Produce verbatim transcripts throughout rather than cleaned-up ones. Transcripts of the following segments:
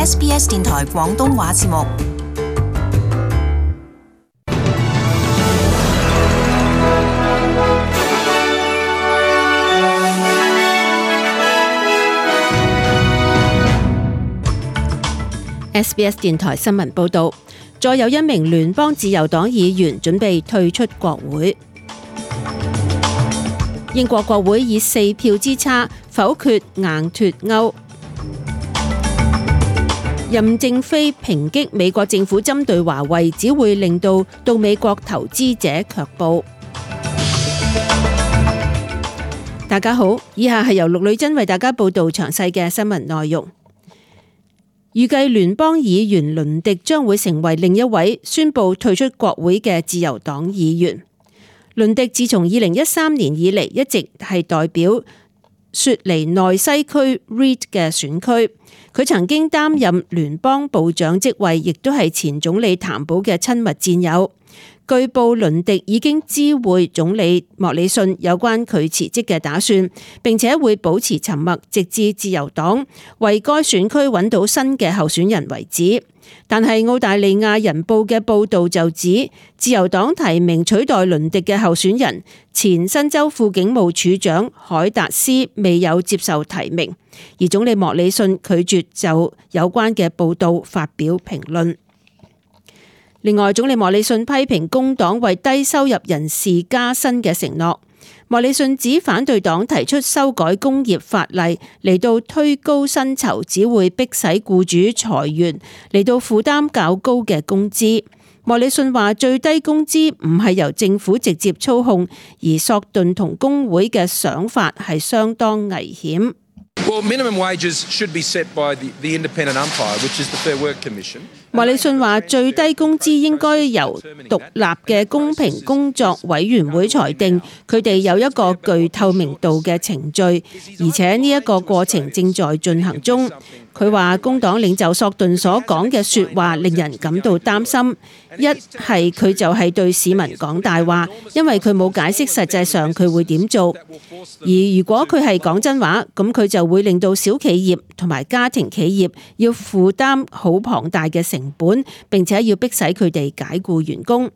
S B S 電台廣東話節目。S B S 電台新聞報道，再有一名聯邦自由黨議員準備退出國會。英國國會以四票之差否決硬脫歐。任正非抨擊美國政府針對華為，只會令到到美國投資者卻步。大家好，以下係由陸女珍為大家報道詳細嘅新聞內容。預計聯邦議員倫迪將會成為另一位宣布退出國會嘅自由黨議員。倫迪自從二零一三年以嚟一直係代表雪梨內西區 Reed 嘅選區，佢曾經擔任聯邦部長職位，亦都係前總理譚寶嘅親密戰友。據報倫迪已經知會總理莫里遜有關佢辭職嘅打算，並且會保持沉默，直至自由黨為該選區揾到新嘅候選人為止。但係澳大利亞人報嘅報導就指，自由黨提名取代倫迪嘅候選人前新州副警務處長海達斯未有接受提名，而總理莫里遜拒絕就有關嘅報導發表評論。另外，總理莫里遜批評工黨為低收入人士加薪嘅承諾。莫里遜指反對黨提出修改工業法例嚟到推高薪酬，只會迫使僱主裁員嚟到負擔較高嘅工資。莫里遜話最低工資唔係由政府直接操控，而索頓同工會嘅想法係相當危險。Well, minimum wages should be set by the, the independent umpire, which is the Fair Work Commission. 莫里遜話最低工資應該由獨立嘅公平工作委員會裁定，佢哋有一個具透明度嘅程序，而且呢一個過程正在進行中。佢話工黨領袖索頓所講嘅說話令人感到擔心，一係佢就係對市民講大話，因為佢冇解釋實際上佢會點做；而如果佢係講真話，咁佢就會令到小企業同埋家庭企業要負擔好龐大嘅成本，並且要迫使佢哋解僱員工。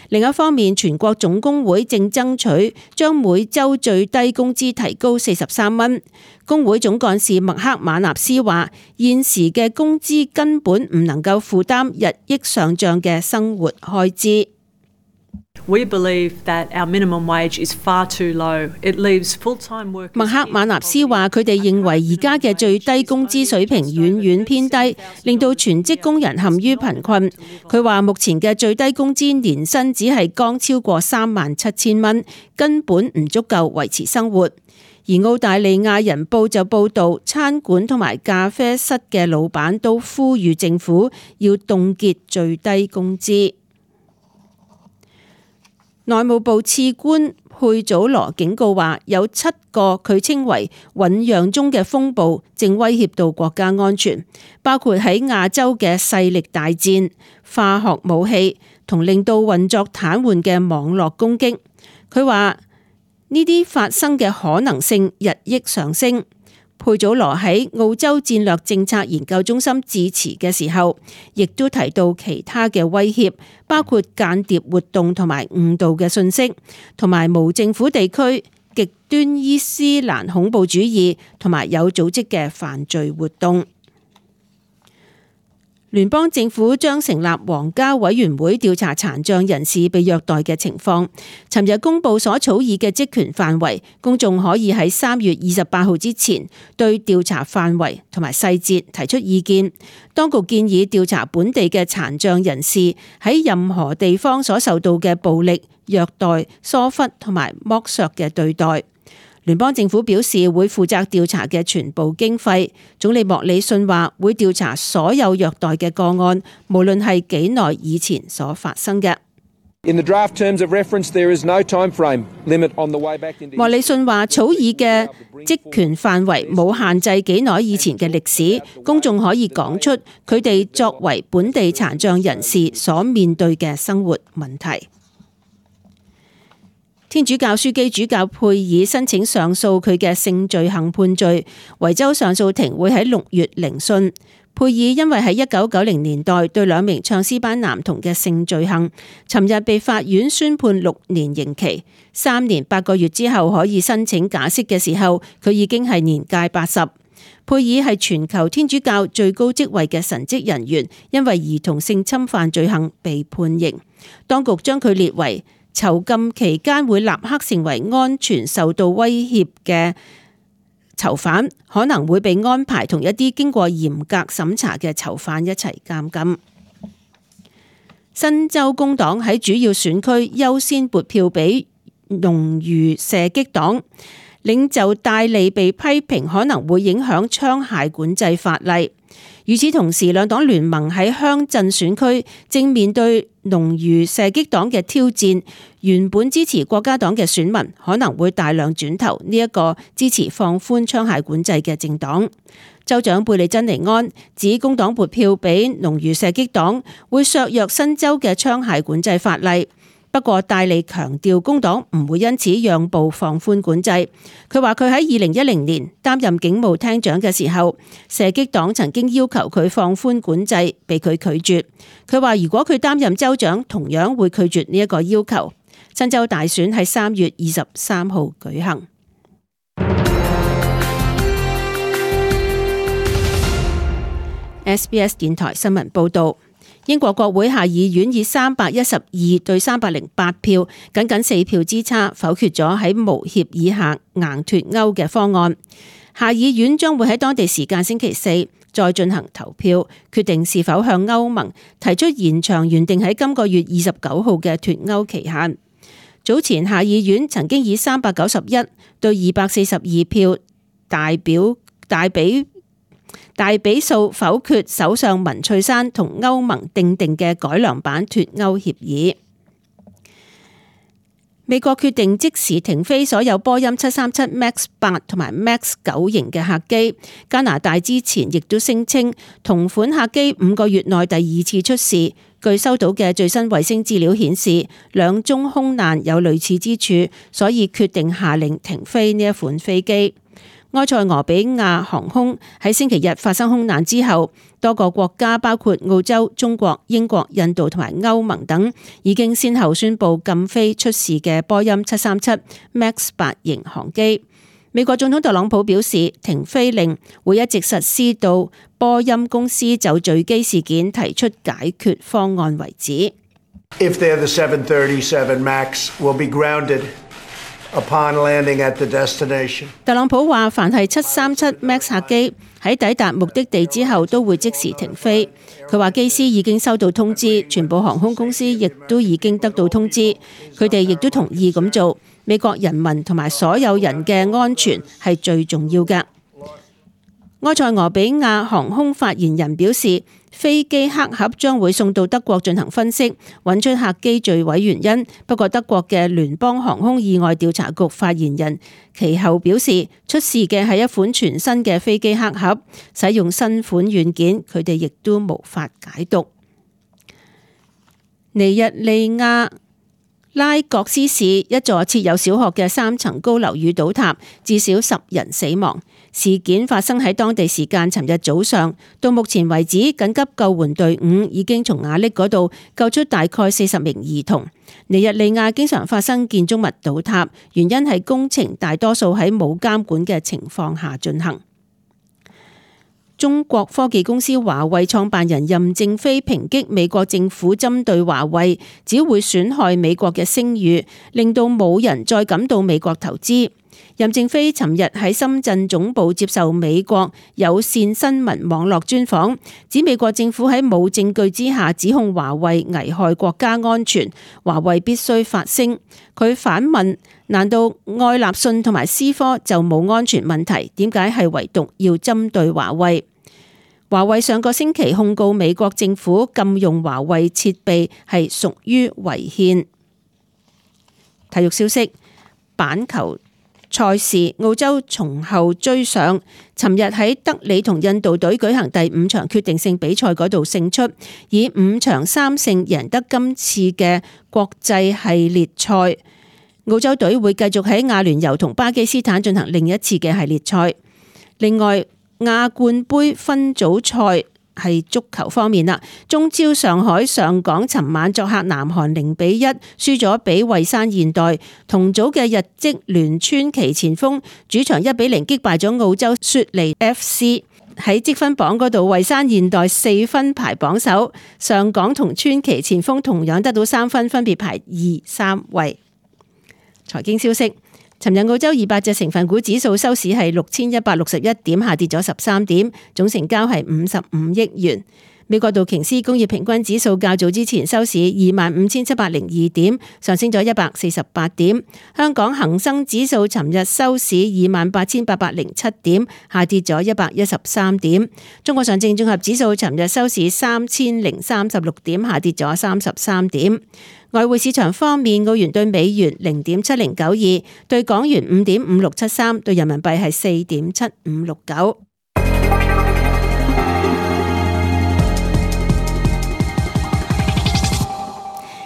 另一方面，全國總工會正爭取將每週最低工資提高四十三蚊。工會總幹事麥克馬納斯話：現時嘅工資根本唔能夠負擔日益上漲嘅生活開支。We believe that our minimum wage is far too low. It leaves full-time workers. 麥克馬納斯話：佢哋認為而家嘅最低工資水平遠遠偏低，令到全職工人陷於貧困。佢話目前嘅最低工資年薪只係剛超過三萬七千蚊，根本唔足夠維持生活。而澳大利亞人報就報導，餐館同埋咖啡室嘅老闆都呼籲政府要凍結最低工資。內務部次官佩祖羅警告話，有七個佢稱為醞釀中嘅風暴正威脅到國家安全，包括喺亞洲嘅勢力大戰、化學武器同令到運作癱瘓嘅網絡攻擊。佢話呢啲發生嘅可能性日益上升。佩祖羅喺澳洲戰略政策研究中心致辭嘅時候，亦都提到其他嘅威脅，包括間諜活動同埋誤導嘅信息，同埋無政府地區、極端伊斯蘭恐怖主義同埋有組織嘅犯罪活動。聯邦政府將成立皇家委員會調查殘障人士被虐待嘅情況。尋日公布所草擬嘅職權範圍，公眾可以喺三月二十八號之前對調查範圍同埋細節提出意見。當局建議調查本地嘅殘障人士喺任何地方所受到嘅暴力、虐待、疏忽同埋剝削嘅對待。聯邦政府表示會負責調查嘅全部經費。總理莫里遜話會調查所有虐待嘅個案，無論係幾耐以前所發生嘅。莫里遜話草擬嘅職權範圍冇限制幾耐以前嘅歷史，公眾可以講出佢哋作為本地殘障人士所面對嘅生活問題。天主教樞機主教佩爾申請上訴佢嘅性罪行判罪，維州上訴庭會喺六月聆訊。佩爾因為喺一九九零年代對兩名唱詩班男童嘅性罪行，尋日被法院宣判六年刑期，三年八個月之後可以申請假釋嘅時候，佢已經係年屆八十。佩爾係全球天主教最高職位嘅神職人員，因為兒童性侵犯罪行被判刑，當局將佢列為囚禁期間會立刻成為安全受到威脅嘅囚犯，可能會被安排同一啲經過嚴格審查嘅囚犯一齊監禁。新州工黨喺主要選區優先撥票俾農漁射擊黨，領袖戴利被批評可能會影響槍械管制法例。與此同時，兩黨聯盟喺鄉鎮選區正面對農漁射擊黨嘅挑戰，原本支持國家黨嘅選民可能會大量轉投呢一個支持放寬槍械管制嘅政黨。州長貝利珍尼安指工黨撥票俾農漁射擊黨會削弱新州嘅槍械管制法例。不過戴利強調工黨唔會因此讓步放寬管制。佢話佢喺二零一零年擔任警務廳長嘅時候，射擊黨曾經要求佢放寬管制，被佢拒絕。佢話如果佢擔任州長，同樣會拒絕呢一個要求。新州大選喺三月二十三號舉行。S B S 電台新聞報道。英國國會下議院以三百一十二對三百零八票，僅僅四票之差否決咗喺無協議下硬脫歐嘅方案。下議院將會喺當地時間星期四再進行投票，決定是否向歐盟提出延長原定喺今個月二十九號嘅脫歐期限。早前下議院曾經以三百九十一對二百四十二票大表大比。大比數否決首相文翠珊同歐盟訂定嘅改良版脫歐協議。美國決定即時停飛所有波音七三七 MAX 八同埋 MAX 九型嘅客機。加拿大之前亦都聲稱同款客機五個月內第二次出事。據收到嘅最新衛星資料顯示，兩宗空難有類似之處，所以決定下令停飛呢一款飛機。埃塞俄比亞航空喺星期日發生空難之後，多個國家包括澳洲、中國、英國、印度同埋歐盟等，已經先後宣布禁飛出事嘅波音七三七 MAX 八型航機。美國總統特朗普表示，停飛令會一直實施到波音公司就墜機事件提出解決方案為止。If they're the seven thirty-seven MAX, will be grounded upon landing at the destination. 特朗普話，凡係七三七 MAX 客機喺抵達目的地之後都會即時停飛。佢話機師已經收到通知，全部航空公司亦都已經得到通知，佢哋亦都同意咁做。美國人民同埋所有人嘅安全係最重要嘅。埃塞俄比亞航空發言人表示，飛機黑盒將會送到德國進行分析，揾出客機墜毀原因。不過德國嘅聯邦航空意外調查局發言人其後表示，出事嘅係一款全新嘅飛機黑盒，使用新款軟件，佢哋亦都無法解讀。尼日利亞拉各斯市一座設有小學嘅三層高樓宇倒塌，至少十人死亡。事件發生喺當地時間尋日早上，到目前為止，緊急救援隊伍已經從瓦礫嗰度救出大概四十名兒童。尼日利亞經常發生建築物倒塌，原因係工程大多數喺冇監管嘅情況下進行。中國科技公司華為創辦人任正非抨擊美國政府針對華為，只會損害美國嘅聲譽，令到冇人再感到美國投資。任正非尋日喺深圳總部接受美國有線新聞網絡專訪，指美國政府喺冇證據之下指控華為危害國家安全，華為必須發聲。佢反問：難道愛立信同埋思科就冇安全問題？點解係唯獨要針對華為？華為上個星期控告美國政府禁用華為設備係屬於違憲。體育消息：板球賽事，澳洲從後追上，尋日喺德里同印度隊舉行第五場決定性比賽嗰度勝出，以五場三勝贏得今次嘅國際系列賽。澳洲隊會繼續喺亞聯酋同巴基斯坦進行另一次嘅系列賽。另外，亞冠杯分組賽係足球方面啦，中超上海上港尋晚作客南韓零比一輸咗俾蔚山現代，同組嘅日職聯川崎前鋒主場一比零擊敗咗澳洲雪梨 F C。喺積分榜嗰度，蔚山現代四分排榜首，上港同川崎前鋒同樣得到三分，分別排二三位。財經消息，尋日澳洲二百隻成分股指數收市係六千一百六十一點，下跌咗十三點，總成交係五十五億元。美國道瓊斯工業平均指數較早之前收市二萬五千七百零二點，上升咗一百四十八點。香港恒生指數尋日收市二萬八千八百零七點，下跌咗一百一十三點。中國上證綜合指數尋日收市三千零三十六點，下跌咗三十三點。外匯市場方面，澳元對美元零點七零九二，對港元五點五六七三，對人民幣係四點七五六九。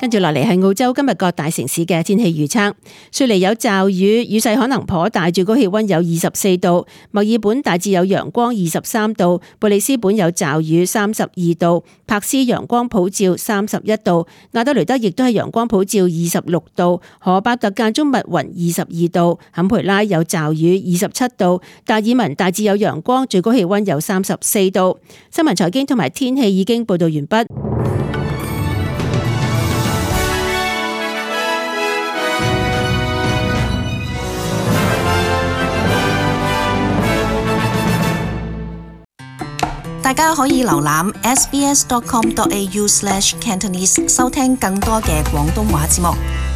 跟住落嚟係澳洲今日各大城市嘅天氣預測。雪梨有驟雨，雨勢可能頗大，最高氣溫有二十四度。墨爾本大致有陽光，二十三度。布里斯本有驟雨，三十二度。柏斯陽光普照，三十一度。亞德雷德亦都係陽光普照，二十六度。荷伯特間中密雲，二十二度。坎培拉有驟雨，二十七度。達爾文大致有陽光，最高氣溫有三十四度。新聞財經同埋天氣已經報道完畢。大家可以瀏覽 s b s dot com dot a u slash cantonese 收聽更多嘅廣東話節目。